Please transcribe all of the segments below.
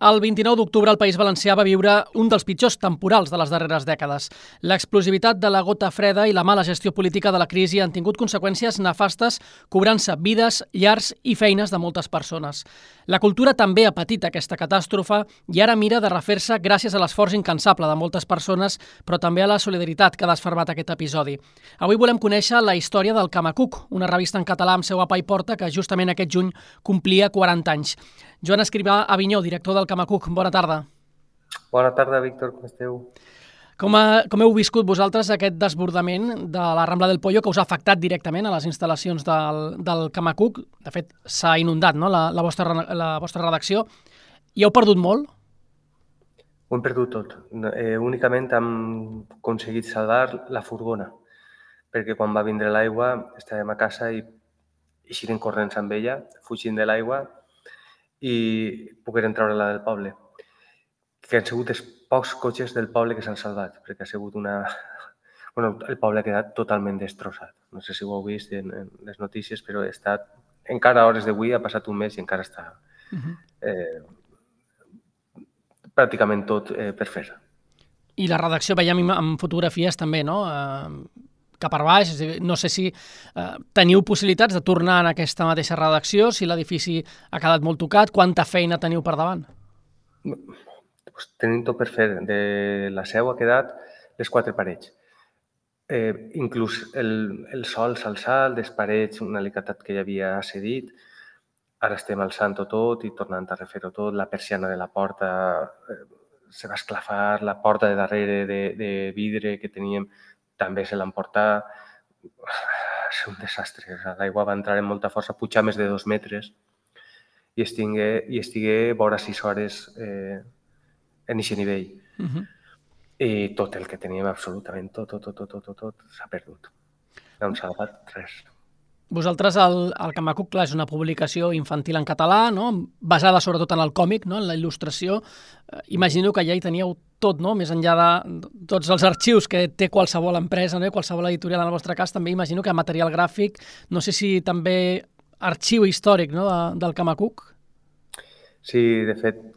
El 29 d'octubre el País Valencià va viure un dels pitjors temporals de les darreres dècades. L'explosivitat de la gota freda i la mala gestió política de la crisi han tingut conseqüències nefastes, cobrant-se vides, llars i feines de moltes persones. La cultura també ha patit aquesta catàstrofe i ara mira de refer-se gràcies a l'esforç incansable de moltes persones, però també a la solidaritat que ha desfermat aquest episodi. Avui volem conèixer la història del Camacuc, una revista en català amb seu a Paiporta que justament aquest juny complia 40 anys. Joan Escrivà Avinyó, director del Camacuc, bona tarda. Bona tarda, Víctor, com esteu? Com heu viscut vosaltres aquest desbordament de la Rambla del Pollo que us ha afectat directament a les instal·lacions del Camacuc? De fet, s'ha inundat, no?, la vostra redacció. I heu perdut molt? Ho hem perdut tot. Únicament hem aconseguit salvar la furgona, perquè quan va vindre l'aigua estàvem a casa i eixirem corrents amb ella, fugint de l'aigua, i pogueren treure-la del poble. Que han sigut els pocs cotxes del poble que s'han salvat, perquè ha sigut una... Bueno, el poble ha quedat totalment destrossat. No sé si ho heu vist en les notícies, però ha estat... Encara a hores d'avui ha passat un mes i encara està pràcticament tot per fer. I la redacció veiem amb fotografies també, no?, cap per baix. No sé si teniu possibilitats de tornar en aquesta mateixa redacció, si l'edifici ha quedat molt tocat, quanta feina teniu per davant? Pues tenim tot per fer. De la seu ha quedat les 4 parets. Inclús el sol s'ha alçat, les parets, un alicatat que ja havia cedit. Ara estem alçant-ho tot i tornant a refer-ho tot. La persiana de la porta se va esclafar, la porta de darrere de vidre que teníem també se l'han portat. Va ser un desastre. L'aigua va entrar amb molta força, pujar més de 2 metres i estigué vora 6 hores en aquest nivell. I tot el que teníem, absolutament tot s'ha perdut. No hem salvat res. Vosaltres, el Camacuc, clar, és una publicació infantil en català, no?, basada sobretot en el còmic, no?, en la il·lustració. Imagino que ja hi teníeu tot, no?, més enllà de tots els arxius que té qualsevol empresa, no?, qualsevol editorial en el vostre cas, també imagino que material gràfic, no sé si també arxiu històric, no?, del Camacuc. Sí, de fet,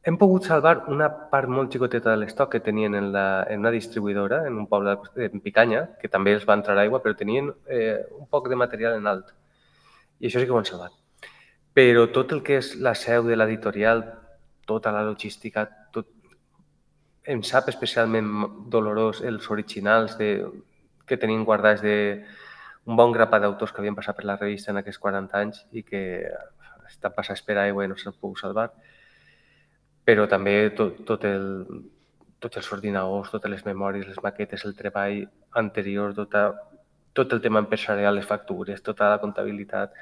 hem pogut salvar una part molt xicoteta de l'estoc que tenien en una distribuïdora, en un poble en Picanya, que també els va entrar aigua, però tenien un poc de material en alt. I això sí que ho han salvat. Però tot el que és la seu de l'editorial, tota la logística, tot... Em sap especialment dolorós els originals que tenien guardats d'un bon grapat d'autors que havien passat per la revista en aquests 40 anys i que estan passant a esperar aigua i no s'han pogut salvar. Però també tots els ordinadors, totes les memòries, les maquetes, el treball anterior, tot el tema empresarial, les factures, tota la comptabilitat,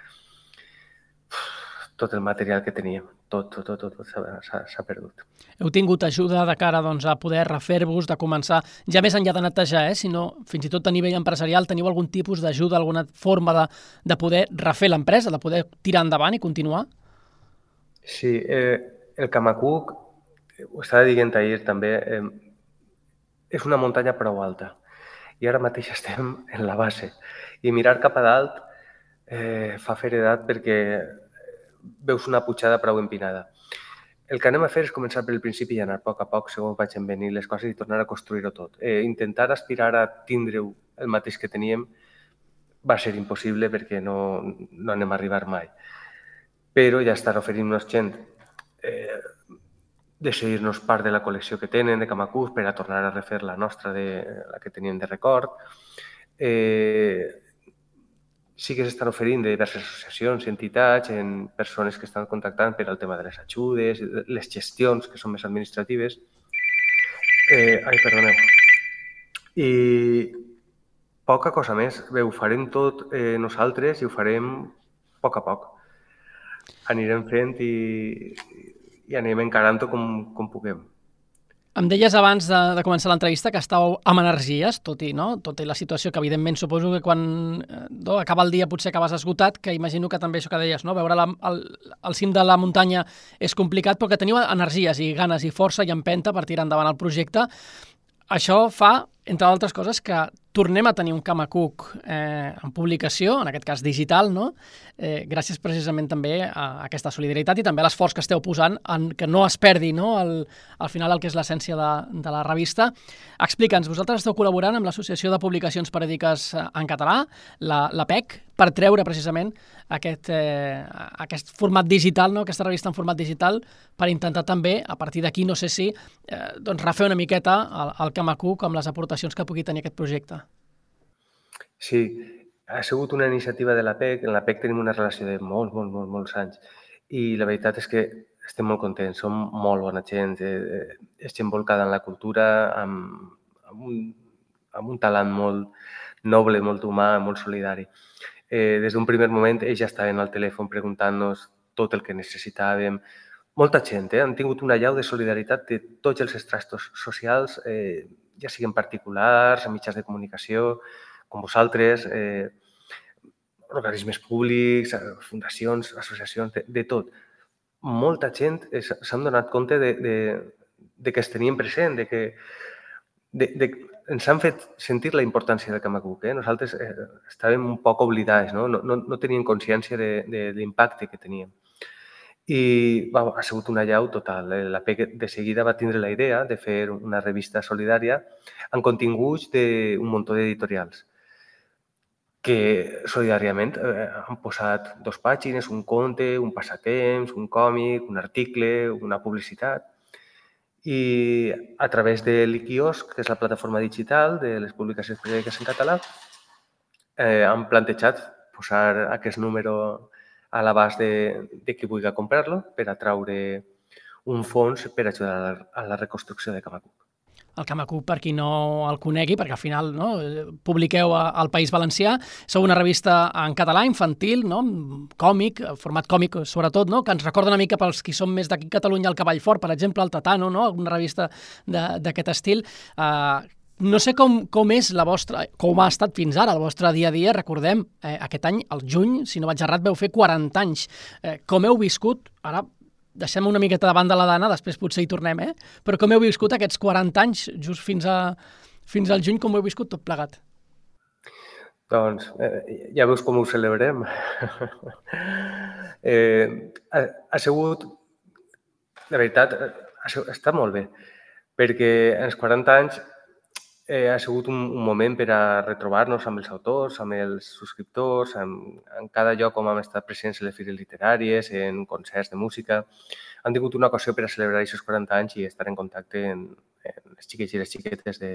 tot el material que teníem, tot s'ha perdut. Heu tingut ajuda de cara, doncs, a poder refer-vos, de començar, ja més enllà de netejar, sinó fins i tot a nivell empresarial, teniu algun tipus d'ajuda, alguna forma de poder refer l'empresa, de poder tirar endavant i continuar? Sí, el Camacuc, ho estava dient ahir també, és una muntanya prou alta i ara mateix estem en la base i mirar cap a dalt fa feredat perquè veus una pujada prou empinada. El que anem a fer és començar pel principi i anar a poc, segons vagin venir les coses i tornar a construir-ho tot. Intentar aspirar a tindre-ho el mateix que teníem va ser impossible perquè no anem a arribar mai. Però ja estan oferint-nos gent de cedir-nos part de la col·lecció que tenen de Camacuc per a tornar a refer la nostra, la que teníem de record. Sí que s'estan oferint de diverses associacions i entitats, en persones que estan contactant per al tema de les ajudes, les gestions, que són més administratives. Perdoneu. I poca cosa més. Bé, ho farem tot nosaltres i ho farem a poc. Anirem fent i anem encarant-ho com puguem. Em deies abans de començar l'entrevista que estàveu amb energies, tot i la situació que evidentment suposo que quan acaba el dia potser acabes esgotat, que imagino que també això que deies, no? Veure el cim de la muntanya és complicat, però que teniu energies i ganes i força i empenta per tirar endavant el projecte. Això fa, entre altres coses, que tornem a tenir un Camacuc en publicació, en aquest cas digital, no? Gràcies precisament també a aquesta solidaritat i també a l'esforç que esteu posant en que no es perdi, no? Al final el que és l'essència de la revista. Explica'ns, vosaltres esteu col·laborant amb l'Associació de Publicacions Periòdiques en Català, la PEC, per treure precisament aquest format digital, no? Aquesta revista en format digital, per intentar també, a partir d'aquí, no sé si, refer una miqueta el Camacuc amb les aportacions que pugui tenir aquest projecte. Sí, ha sigut una iniciativa de la PEC. En la PEC tenim una relació de molts anys i la veritat és que estem molt contents, som molt bona gent, és gent volcada en la cultura, amb un talent molt noble, molt humà, molt solidari. Des d'un primer moment ells ja estaven al telèfon preguntant-nos tot el que necessitàvem. Molta gent, han tingut una llau de solidaritat de tots els estratos socials, ja siguin particulars, mitjans de comunicació, com vosaltres, organismes públics, fundacions, associacions, de tot. Molta gent s'han donat compte de que es tenien present, de que ens han fet sentir la importància del Camacuc. Nosaltres estàvem un poc oblidats, no teníem consciència de l'impacte que teníem. I ha sigut una llau total. La PEC de seguida va tindre la idea de fer una revista solidària amb continguts d'un munt d'editorials que solidàriament han posat 2 pàgines, un conte, un passatemps, un còmic, un article, una publicitat. I a través de l'Iquiosc, que és la plataforma digital de les publicacions periòdiques en català, han plantejat posar aquest número a l'abast de qui vulgui comprar-lo per atraure un fons per ajudar a la reconstrucció de Camacuc. El Camacuc, per qui no el conegui, perquè al final publiqueu al País Valencià, sou una revista en català, infantil, còmic, format còmic sobretot, que ens recorda una mica pels qui som més d'aquí a Catalunya, el Cavall Fort, per exemple, el Tatano, una revista d'aquest estil. No sé com és la vostra, com ha estat fins ara el vostre dia a dia. Recordem, aquest any, el juny, si no vaig errat, veu fer 40 anys. Com heu viscut, ara deixem una miqueta de banda la Dana, després potser hi tornem, però com heu viscut aquests 40 anys, just fins al juny, com ho heu viscut tot plegat? Doncs ja veus com ho celebrem. Ha sigut, de veritat, està molt bé, perquè en els 40 anys ha sigut un moment per a retrobar-nos amb els autors, amb els subscriptors, en cada lloc on hem estat presents en les fires literàries, en concerts de música. Han tingut una ocasió per a celebrar aquests 40 anys i estar en contacte amb els xiquets i les xiquetes de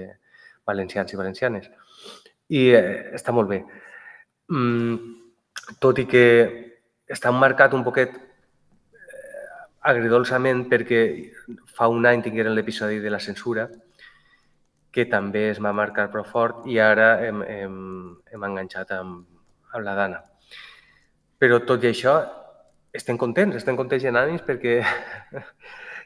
valencians i valencianes. I està molt bé. Tot i que està marcat un poquet agridolçament perquè fa un any tingueren l'episodi de la censura, que també es va marcar prou fort i ara hem enganxat amb la Dana. Però tot i això, estem contents i en ànims perquè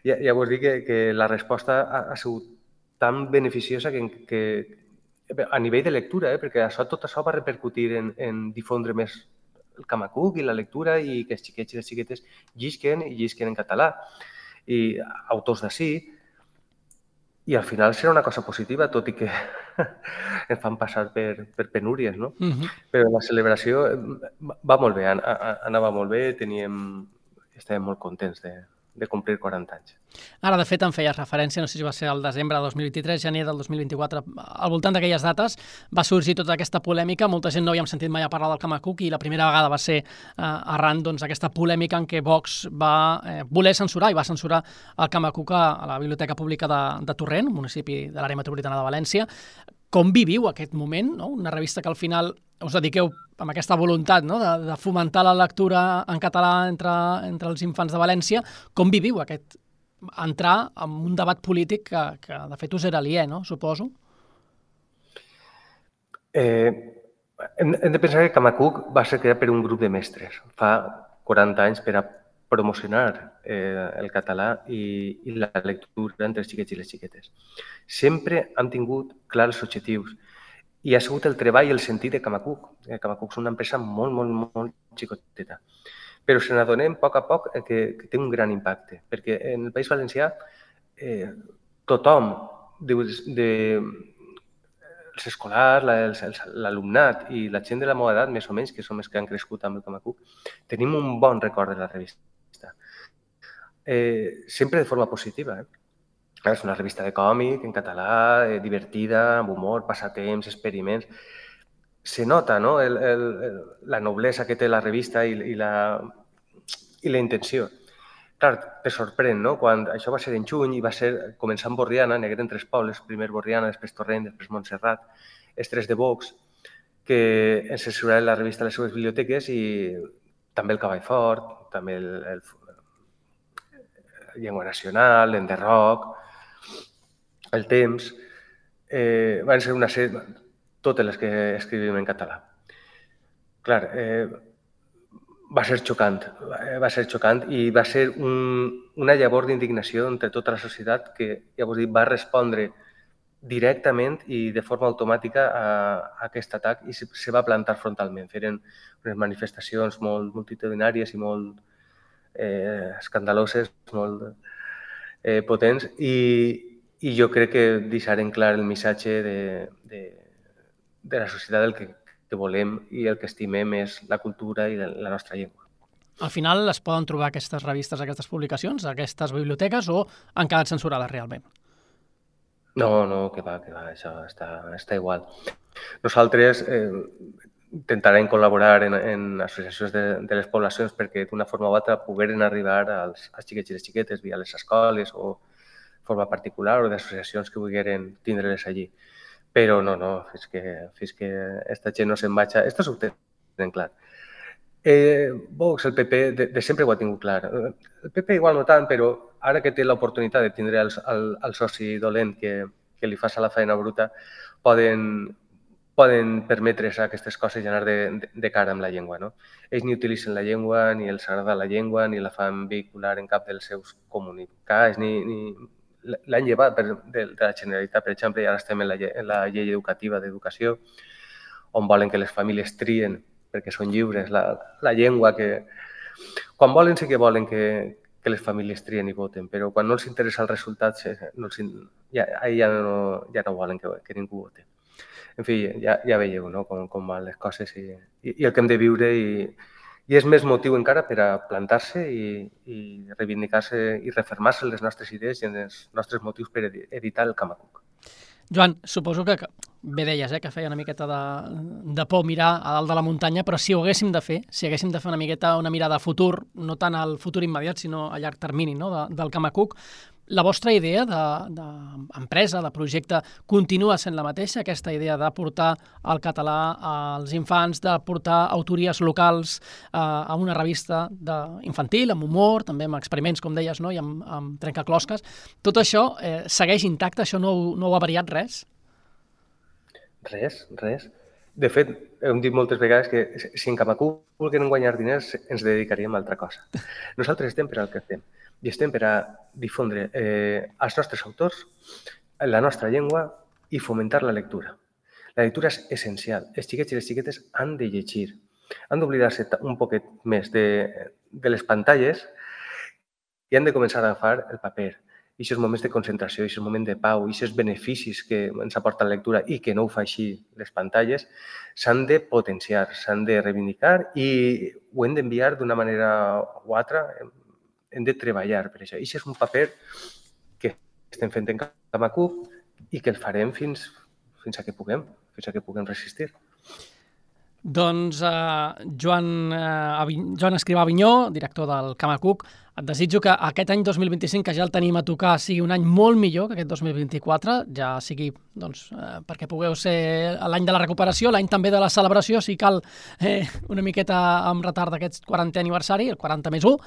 ja vos dic que la resposta ha sigut tan beneficiosa que a nivell de lectura, perquè tot això va repercutir en difondre més el Camacuc i la lectura i que els xiquets i les xiquetes llisquen en català. I autors d'ací. I al final serà una cosa positiva, tot i que ens fan passar per penúries, no? Però la celebració va molt bé, anava molt bé, estàvem molt contents de complir 40 anys. Ara, de fet, em feies referència, no sé si va ser el desembre de 2023, gener del 2024, al voltant d'aquelles dates va sorgir tota aquesta polèmica, molta gent no havíem sentit mai a parlar del Camacuc i la primera vegada va ser arran d'aquesta polèmica en què Vox va voler censurar i va censurar el Camacuc a la Biblioteca Pública de Torrent, municipi de l'àrea metropolitana de València. Com viviu aquest moment, una revista que al final us dediqueu amb aquesta voluntat de fomentar la lectura en català entre els infants de València? Com viviu aquest entrar en un debat polític que de fet us era aliè, suposo? Hem de pensar que Camacuc va ser creat per un grup de mestres fa 40 anys per a promocionar el català i la lectura entre els xiquets i les xiquetes. Sempre han tingut clars els objectius i ha sigut el treball i el sentit de Camacuc. Camacuc és una empresa molt xicoteta, però se n'adonem a poc que té un gran impacte, perquè en el País Valencià tothom, els els escolars, l'alumnat i la gent de la meva edat, més o menys, que som els que han crescut amb el Camacuc, tenim un bon record de la revista. Sempre de forma positiva. És una revista de còmic en català, divertida, amb humor, passatemps, experiments. Se nota, no?, la noblesa que té la revista i la intenció. Clar, te sorprèn, no?, quan això va ser en juny i va ser començant Borriana, n'hi hagueren 3 pobles, primer Borriana, després Torrent, després Montserrat, els 3 de Vox, que ens censuraven la revista a les seves biblioteques i també el Cavall Fort, també el Llengua Nacional, l'Enderroc, el Temps, van ser una sèrie, totes les que escrivim en català. Clar, va ser xocant i va ser una llavor d'indignació entre tota la societat que, ja vos dic, va respondre directament i de forma automàtica a aquest atac i se va plantar frontalment. Feren unes manifestacions molt multitudinàries i molt escandaloses, molt potents i jo crec que deixaren clar el missatge de la societat del que volem i el que estimem és la cultura i la nostra llengua. Al final es poden trobar aquestes revistes, aquestes publicacions, aquestes biblioteques o han quedat censurades realment? No, que va, això està igual. Nosaltres intentarem col·laborar en associacions de les poblacions perquè d'una forma o altra pogueren arribar als xiquets i les xiquetes via les escoles o de forma particular o d'associacions que volgueren tindre-les allí. Però no, fins que aquesta gent no se'n vagi, esto ho tenen clar. Vox, el PP, de sempre ho ha tingut clar. El PP igual no tant, però ara que té l'oportunitat de tindre el soci dolent que li fa la feina bruta, poden permetre's aquestes coses i anar de cara amb la llengua. No? Ells ni utilitzen la llengua, ni els agrada la llengua, ni la fan vehicular en cap dels seus comunicats, ni l'han llevat de la Generalitat, per exemple, i ara estem en la llei educativa d'educació, on volen que les famílies trien, perquè són lliures, la llengua que... Quan volen sí que volen que les famílies trien i voten, però quan no els interessa el resultat, ja no volen que ningú vote. En fi, ja veieu, no?, com van les coses i el que hem de viure i és més motiu encara per a plantar-se i reivindicar-se i refermar-se les nostres idees i els nostres motius per editar el Camacuc. Joan, suposo que bé deies que feia una miqueta de por mirar a dalt de la muntanya, però si ho haguéssim de fer, una miqueta una mirada a futur, no tant al futur immediat, sinó a llarg termini, no?, del Camacuc, la vostra idea d'empresa, de projecte, continua sent la mateixa, aquesta idea de portar el català als infants, de portar autories locals a una revista infantil, amb humor, també amb experiments, com deies, no?, i amb trencaclosques. Tot això segueix intacte? Això no ho ha variat res? Res. De fet, hem dit moltes vegades que si en Camacuc volguem guanyar diners ens dedicaríem a altra cosa. Nosaltres estem per al que fem. I estem per a difondre els nostres autors, la nostra llengua i fomentar la lectura. La lectura és essencial. Els xiquets i les xiquetes han de llegir, han d'oblidar-se un poquet més de les pantalles i han de començar a agafar el paper. I aquests moments de concentració, aquests moments de pau, i aquests beneficis que ens aporta la lectura i que no ho fa així les pantalles, s'han de potenciar, s'han de reivindicar i ho hem d'enviar d'una manera o altra. Hem de treballar per això. I això és un paper que estem fent en Camacuc i que el farem fins a que puguem resistir. Doncs Joan Escrivà Avinyó, director del Camacuc, et desitjo que aquest any 2025, que ja el tenim a tocar, sigui un any molt millor que aquest 2024, ja sigui perquè pugueu ser l'any de la recuperació, l'any també de la celebració, si cal una miqueta amb retard d'aquest 40è aniversari, el 40+1,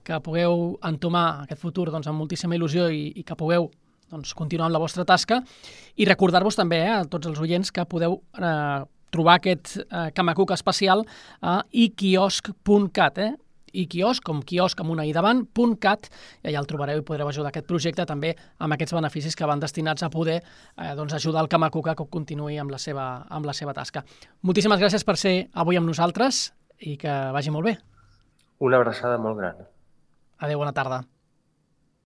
que pugueu entomar aquest futur amb moltíssima il·lusió i que pugueu continuar amb la vostra tasca i recordar-vos també a tots els oients que podeu trobar aquest Camacuc especial a iquiosc.cat, iquiosc, com quiosc amb una i davant, .cat, i allà el trobareu i podreu ajudar aquest projecte també amb aquests beneficis que van destinats a poder ajudar el Camacuc a que continuï amb la seva tasca. Moltíssimes gràcies per ser avui amb nosaltres i que vagi molt bé. Una abraçada molt gran. Adéu, bona tarda.